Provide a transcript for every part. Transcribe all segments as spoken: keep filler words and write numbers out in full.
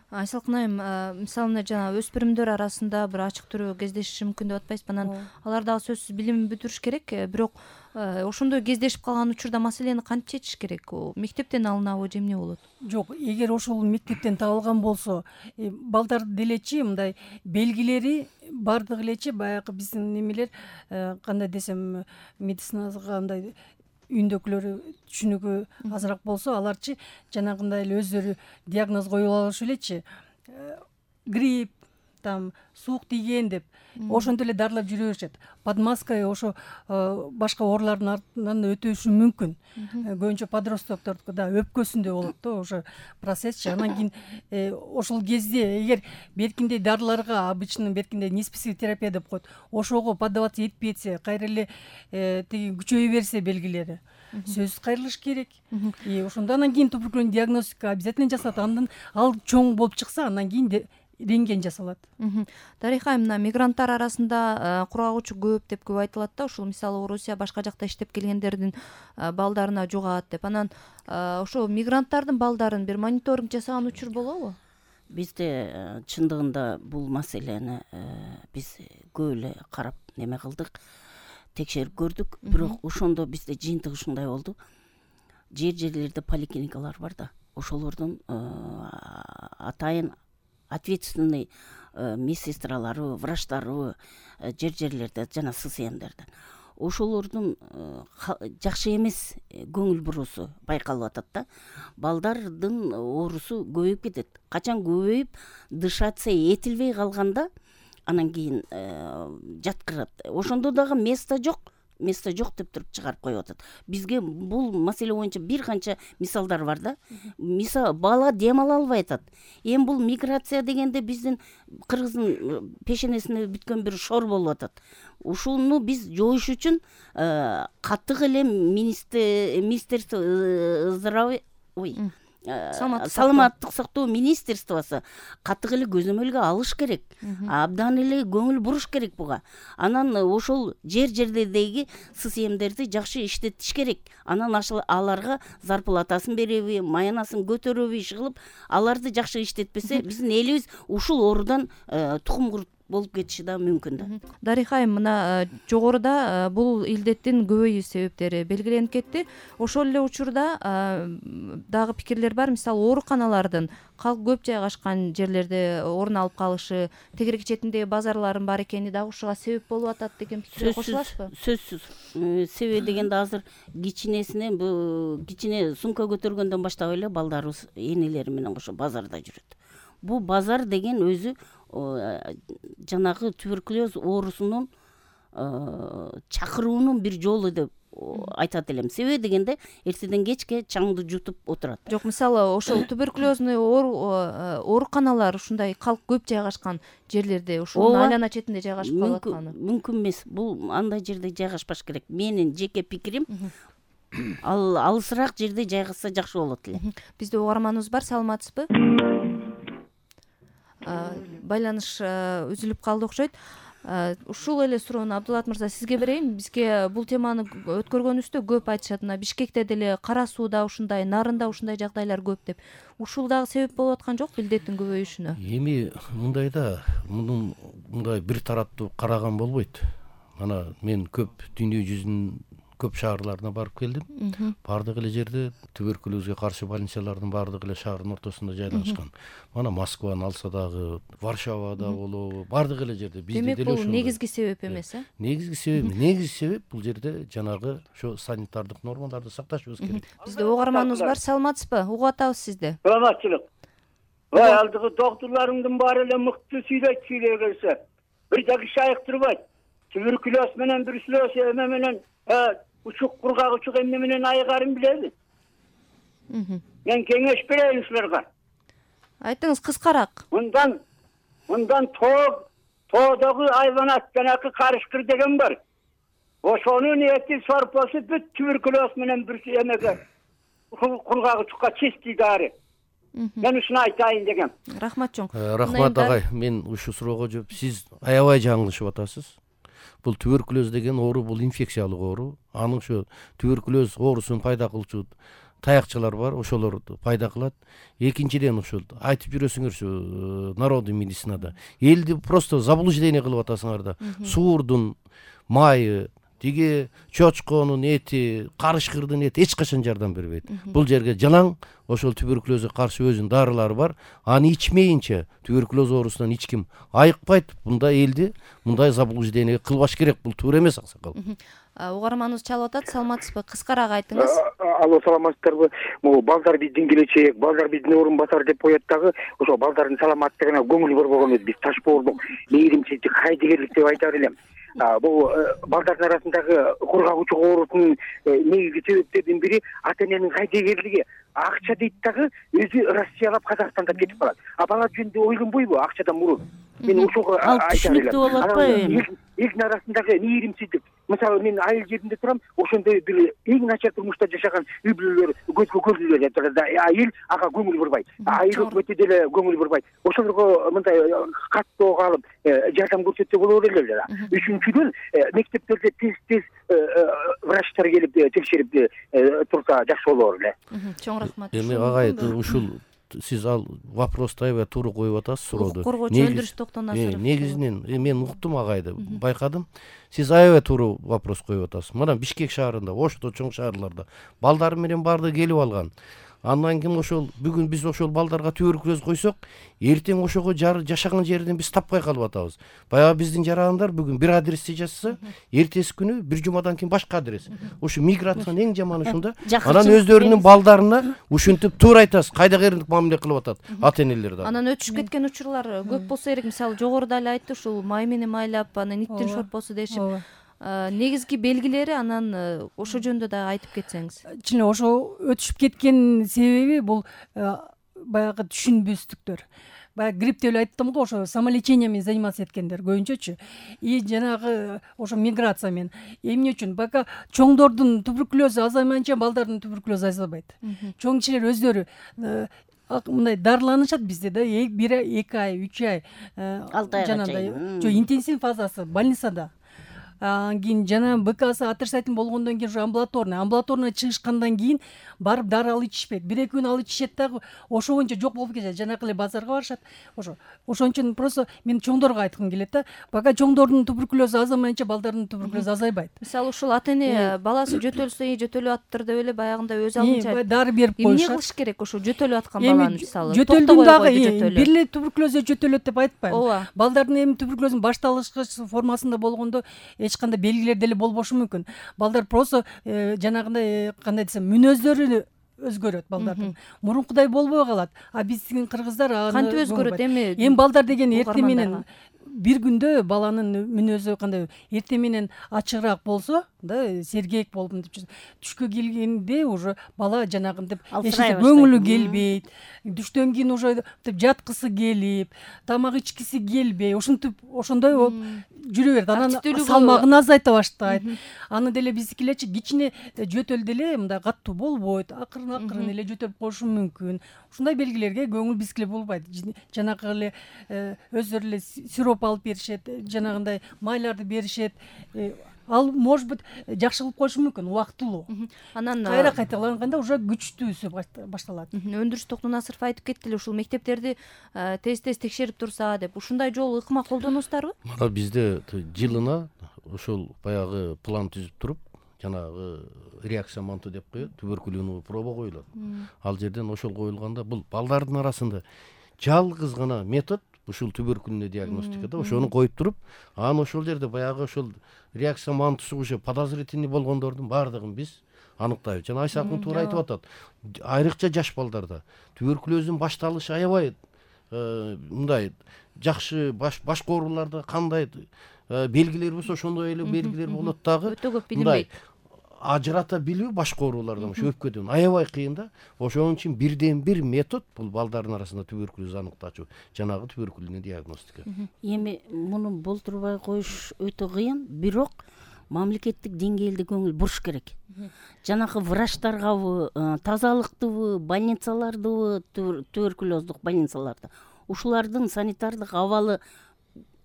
Айсалкын айым, мисалы жана өспүрүмдөр арасында бир ачык түрүү кездешиши мүмкүн деп атпайсызбы? Анан алар дагы сөзсүз билимин бүтүрүш керек, бирок ошондой кездешип калган учурда маселени кантип чечиш керек? Мектептен алынабы же эмне болот? Жок, эгер ошол мектептен табылган болсо, балдар делечи мындай белгилери бардыгы элечи баягы биздин немелер кандай десем, медицинага андай үйүндөгүлөр түшүнүгү азыраак болсо, аларчы жанагындай эле өздөрү диагноз коюп алышы элечи. Грипп, там суук тийген деп ошентип эле дарылап жүрө беришет. Под маской ошо башка оорулардын артынан өтүшү мүмкүн. Көбүнчө подростоктордо өпкөсүндө болот да ошо процессчи. Анан кийин ошол кезде эгер беркиндей дарыларга, обычно беркиндей неспецифик терапия деп коет, ошого поддаваться этпей кетсе, кайра эле тиги күчөйө берсе белгилери, сөзсүз кайрылыш керек. И ошондо анан кийин туберкулез диагностика обязательно жасалат. Андан ал чоң болуп чыкса, андан кийин рентген жасалат. Дариха айым, мына мигранттар арасында курагуучу көп деп көп айтылат да, ушул мисалы Орусия башка жакта иштеп келгендердин балдарына жугат деп. Анан ошо мигранттардын балдарын бир мониторинг жасаган учур болобу? Бизде чындыгында бул маселени биз көп эле карап неме кылдык, текшерип көрдүк, бирок ошондо бизде жыйынтык ушундай болду. Жер-жерлерде поликлиникалар бар да, ошолордун атайын ответственный медсестралары, врачтары жер-жерлерде жана ССМдерде. Ошолордун жакшы эмес көңүл буруусу байкалып атат да. Балдардын оорусу көбөйүп кетет. Качан көбөйүп, дышаться этилбей калганда, анан кийин жаткырат. Ошондо дагы место жок. Место жок деп туруп чыгарып коюп атат. Бизге бул маселе боюнча бир канча мисалдар бар да. Мисал, бала дем ала албай атат. Эми бул миграция дегенде биздин кыргыздын пешенесине бүткөн бир шор болуп атат. Ушуну биз жоюш үчүн катык эле министерство здравия, ой, саламаттык сактоо министерствосу катык эле көзөмөлгө алыш керек. Абдан эле көңүл буруш керек буга. Анан ошол жер-жерлердеги ССМдерди жакшы иштетиш керек. Анан аларга зарплатасын береби, маянасын көтөрөбү иш кылып, аларды жакшы иштетпесе, биздин элибиз ушул оорудан тукум курут болуп кетиши да мүмкүн да. Дариха айым, мына жогоруда бул илдеттин көбөйүү себептери белгиленип кетти. Ошол эле учурда дагы пикирлер бар. Мисалы, ооруканалардын калк көп жайгашкан жерлерде орун алып калышы, тегерек четиндеги базарлардын бар экени дагы ушуга себеп болуп атат деген пикирге кошуласызбы? Сөзсүз. Себеби дегенде азыр кичинесинен, бу кичине сумка көтөргөндөн баштап эле балдарыбыз энелери менен кошо базарда жүрөт. Бу базар деген өзү жанагы туберкулез оорусунун чакыруунун бир жолу деп айтат элем. Себеби дегенде эртеден кечке чаңды жутуп отурат. Жок, мисалы, ошол туберкулезный ооруканалар ушундай калк көп жайгашкан жерлерде, ушунун айлана четинде жайгашып калып атканы мүмкүн эмес. Бул андай жерде жайгашпаш керек. Менин жеке пикирим, ал алысыраак жерде жайгашса жакшы болот эле. Бизде угарманыбыз бар, саламатсызбы? Байланыш үзүлүп калды окшойт. Ушул эле суроону Абдулат мырза сизге берейин. Бизге бул теманы өткөргөнүбүздө көп айтышат. Мына Бишкекте деле, Кара Сууда ушундай, Нарында ушундай жагдайлар көп деп. Ушул дагы себеп болуп аткан жокпу илдеттин көбөйүшүнө? Эми мындай да, мунун мындай бир тараптуу караган болбойт. Мана мен көп дүйнө жүзүнүн көп шаарларына барып келдим. Бардык эле жерде туберкулезге каршы больницалардын бардык эле шаардын ортосунда жайлашкан. Мана Москваны алса дагы, Варшавада болобу, бардык эле жерде. Бизде деле ошол. Демек, бул негизги себеп эмес, э? Негизги себеп, негизги себеп бул жерде жанагы ошо санитардык нормаларды сакташыбыз керек. Бизде угарманыбыз бар, саламатсызбы? Угуп атабыз сизди. Саламатчылык. Ой, алдыгы доктурларыңдын баары эле мыкты сүйлөйт, сүйлөй келсе. Бир дагы шайык турбайт. Туберкулез менен бруцеллез эме менен учук кургак учук эмне менен айыгарын билеби? Мен кеңеш берейин ушуларга. Айтыңыз кыскараак. Мындан мындан тоо тоодогу айванат жанакы карышкыр деген бар. Ошонун эти сорпосу бүт туберкулез менен бир эмеге кургак учукка чистый дары. Мен ушуну айтайын дегем. Рахмат чоң. Рахмат агай, мен ушу суроого жооп, сиз аябай жаңылышып атасыз. Бул туберкулез деген оору, бул инфекциялык оору. Анын ошо туберкулез оорусун пайда кылчу таякчылар бар, ошолор пайда кылат. Экинчиден ошол айтып жүрөсүңөрчү народный медицинада элди просто заблуждение кылып атасыңар да. Суурдун майы, тиги чочконун эти, карышкырдын эти эч качан жардам бербейт. Бул жерге жалаң ошол туберкулезге каршы өзүнүн дарылары бар. Аны ичмейинче туберкулез оорусунан эч ким айыкпайт. Мында элди мындай заблуждение кылбаш керек. Бул туура эмес, аксакал. Угарманыбыз чалып атат. Саламатсызбы? Кыскараак айтыңыз. Алло, саламатсыздарбы? Могу балдар биздин келечек, балдар биздин орун басар деп коет дагы, ошо балдардын саламаттыгына көңүл борбогон эмес. Биз таш боордук, мээримчилик, кайдыгерлик деп айтар элем. Бул балдардын арасындагы кургак учук оорусунун негизги себептеринин бири ата эненин кайдыгерлиги. Акча дейт дагы өзү Россиялап Казакстанда кетип калат. А бала жөнүндө ойлонбойбу акчадан мурун? Мен ошого айтар элем. Элдин арасындагы мээримсиздик. Мисалы мен айыл жеринде турам, ошондой бир эң начар турмушта жашаган үй бүлөлөр көзгө көрүнүп жатат. Айыл ага көңүл бурбайт. Айыл өкмөтү деле көңүл бурбайт. Ошолорго мындай каттоо калып жардам көрсөтсө болор эле да. Үчүнчүдөн мектептерде тез-тез врачтар келип текшерип турса жакшы болор эле. Чоң рахмат. Эми агай ушул сиз ал вопросту аябай туура коюп атасыз, сурооду. Коргоочу Өндүрүш Токтонасыров. Негизинен мен уктум агайды, байкадым. Сиз аябай туура вопрос коюп атасыз. Мына Бишкек шаарында, Ошто чоң шаарларда балдар менен баардыгы келип алган. Андан кийин ошол бүгүн биз ошол балдарга туберкулез койсок, эртең ошого жашаган жерден биз таппай калып атабыз. Баягы биздин жарандар бүгүн бир адресте жашаса, эртеси күнү бир жумадан кийин башка адрес. Ушу миграциянын эң жаманы ушунда. Анан өздөрүнүн балдарына ушинтип туура айтасыз, кайдыгерлик мамиле кылып атат ата энелер да. Анан өтүшүп кеткен учурлар көп болсо керек. Мисалы жогоруда эле айтты, ушул май менен майлап, анан иттин шорпосу дешип. Негизги белгилери анан ошо жөнүндө дагы айтып кетсеңиз. Чын ошо өтүшүп кеткен себеби бул баягы түшүнбөстүктөр. Баягы грипп деп эле айттым го, ошо самолечение менен заниматься эткендер көбүнчөчү. И жанагы ошо миграция менен. Эмне үчүн? Бака чоңдордун туберкулезу азаймайынча балдардын туберкулезу азайбайт. Чоң кишилер өздөрү мындай дарыланышат бизде да, бир ай, эки ай, үч ай жанагындай жо интенсив фазасы больницада. Анан кийин жана БКсы отрицательный болгондон кийин амбулаторный амбулаторный чыгышкандан кийин барып дары алып ичишпейт. бир эки күн алып ичишет дагы ошо боюнча жок болуп кетет. Жанакы эле базарга барышат. Ошо ошон үчүн просто мен чоңдорго айткым келет да. Пока чоңдордун туберкулезу азаймайынча балдардын туберкулезу азайбайт. Мисалы ушул ата эне баласы жөтөлсө, жөтөлүп аттыр деп эле баягындай өз алдынча дары берип коюшат. Эмне кылыш керек ошо жөтөлүп аткан баланы мисалы? Жөтөлдүн дагы бир эле туберкулезу жөтөлөт деп айтпайм. Балдардын эми туберкулезүнүн башталгыч формасында болгондо эч кандай белгилер деле болбошу мүмкүн. Балдар просто жанагындай кандай десем, мүнөздөрү өзгөрөт балдардын. Мурункудай болбой калат. А биздин кыргыздар аны кантип өзгөрөт эми? Эми балдар деген эрте менен бир күндө баланын мүнөзү кандай эрте менен ачыгыраак болсо, да, сергек болуп мынтип түшкө келгенде уже бала жанагынтип көңүлү келбейт. Түштөн кийин уже жаткысы келип, тамак ичкиси келбей, ушинтип ошондой болуп жүрө берет. Анан салмагын азайта баштайт. Аны деле биздикилерчи кичине жөтөл деле мындай каттуу болбойт. Акырын-акырын эле жөтөлүп коюшу мүмкүн. Ушундай белгилерге көңүл бизгиле болбойт. Жанакы эле өздөрү эле сироп алып беришет, жанагындай майларды беришет. Ал может быть жакшы кылып коюшу мүмкүн убактылуу. Анан кайра кайталанганда уже күчтүүсү башталат. Өндүрүш Токтонасыров айтып кетти эле, ушул мектептерди тез-тез текшерип турса деп. Ушундай жол ыкма колдоносуздарбы? Мына бизде жылына ошол баягы план түзүп туруп, жанагы реакция манту деп коет, туберкулезный проба коюлат. Ал жерден ошол коюлганда бул балдардын арасында жалгыз гана метод ушул туберкулезный диагностикада ошону коюп туруп, анан ошол жерде баягы ошол реакция мантусу уже подозрительный болгондордун баардыгын биз аныктайбыз. Жана Айсакын туура айтып атат. Айрыкча жаш балдарда туберкулездин башталышы аябай мындай жакшы башка ооруларда кандай белгилер болсо ошондой эле белгилер болот дагы. Өтө көп билинбейт. Ажырата билүү башка оорулардан ошо өпкөдөн аябай кыйын да. Ошон үчүн бирден бир метод бул балдардын арасында туберкулез аныктачу, жанагы туберкулезный диагностика. Эми муну болтурбай коюш өтө кыйын, бирок мамлекеттик деңгээлде көңүл буруш керек. Жанагы врачтаргабы, тазалыктыбы, больницалардыбы, туберкулездук больницаларда ушулардын санитардык абалы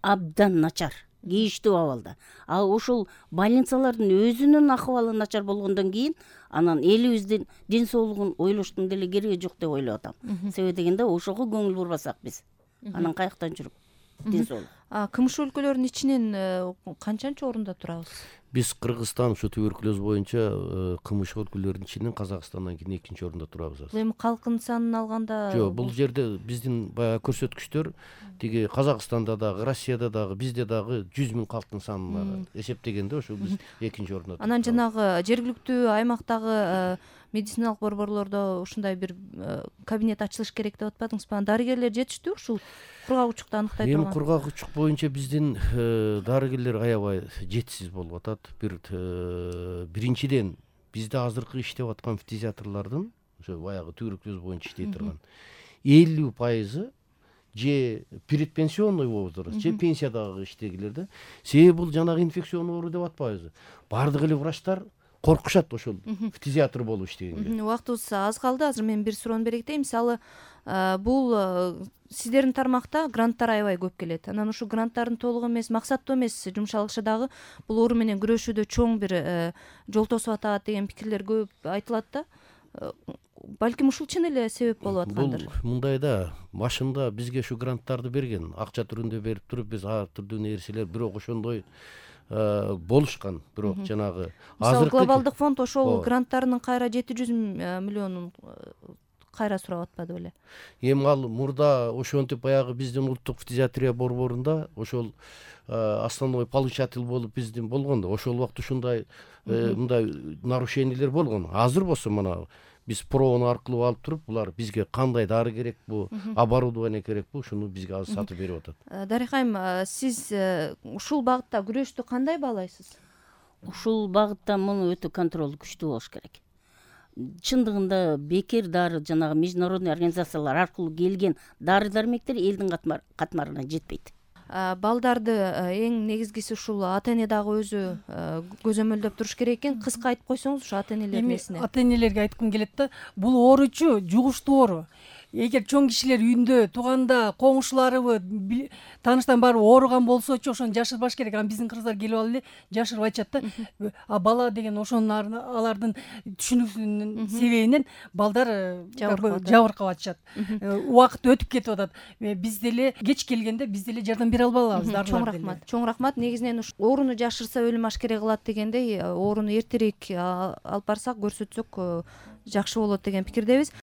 абдан начар. кейиштүү абалда. А ошол больницалардын өзүнүн акыбалы начар болгондон кийин анан элибиздин ден соолугун ойлоштун деле кереги жок деп ойлоп атам. Себеби дегенде ошого көңүл бурбасак биз анан каяктан жүрүп ден соолук. КМШ өлкөлөрүнүн ичинен канчанчы орунда турабыз? Биз Кыргызстан ушу туберкулез боюнча КМШ өлкөлөрүнүн ичинен Казакстандан кийин экинчи орунда турабыз. Бул эми калктын санын алганда жок, бул жерде биздин баягы көрсөткүчтөр тиги Казакстанда дагы, Россияда дагы, бизде дагы жүз миң калктын санына эсептегенде ошо биз экинчи орунда турабыз. Анан жанагы жергиликтүү аймактагы медициналык борборлордо ушундай бир кабинет ачылыш керек деп атпадыңызбы? Дарыгерлер жетиштүү ушул кургак учукту аныктай турган? Эми кургак учук боюнча биздин дарыгерлер аябай жетишсиз болуп атат. Бир биринчиден бизде азыркы иштеп аткан фтизиатрлардын ошо баягы туберкулез боюнча иштей турган элүү пайызы же предпенсионный возраст, же пенсиядагы иштегилер да. Себеби бул жанагы инфекционный оору деп атпайбызбы? Бардык эле врачтар коркушат ошол фтизиатр болуп иштегенге. Убактыбыз аз калды. Азыр мен бир суроону бере кетейин. Мисалы, бул сиздердин тармакта гранттар аябай көп келет. Анан ушул гранттардын толугу эмес, максаттуу эмес жумшалышы дагы бул оору менен күрөшүүдө чоң бир жол тосуп атат деген пикирлер көп айтылат да. Балким ушул чын эле себеп болуп аткандыр. Бул мындай да, башында бизге ушу гранттарды берген, акча түрүндө берип туруп, биз ар түрдүү нерселер, бирок ошондой болушкан. Бирок жанагы азыркы глобалдык фонд ошол гранттарынын кайра жети жүз миллионун кайра сурап атпады беле? Эми ал мурда ошентип баягы биздин улуттук фтизиатрия борборунда ошол основной получатель болуп биздин болгон да. Ошол убакта ушундай мындай нарушениялер болгон. Азыр болсо мына биз пробаны аркылуу алып туруп, булар бизге кандай дары керек бу, оборудование керек бу, ушуну бизге азыр сатып берип атат. Дарыйкайым, сиз ушул багытта күрөштү кандай баалайсыз? Ушул багытта муну өтө контроль күчтүү болуш керек. Чындыгында бекер дары жанагы международный организациялар аркылуу келген дары-дармектер элдин катмарына жетпейт. Балдарды эң негизгиси ушул ата эне дагы өзү көзөмөлдөп туруш керек экен. Кыска айтып койсоңуз ушу ата энелердин эсине. Ата энелерге айткым келет да, бул ооручу жугуштуу оору. Эгер чоң кишилер үйүндө, тууганда, коңшуларыбы, тааныштан баары ооруган болсочу ошону жашырбаш керек. Анан биздин кыргыздар келип алып эле жашырып айтышат да. А бала деген ошонун алардын түшүнүксүзүнүн себебинен балдар жабыркап атышат. Убакыт өтүп кетип атат. Биз деле кеч келгенде биз деле жардам бере албай калабыз. Чоң рахмат. Чоң рахмат. Негизинен ушу ооруну жашырса өлүм ашкере кылат дегендей, ооруну эртерээк алып барсак, көрсөтсөк жакшы болот деген пикирдебиз.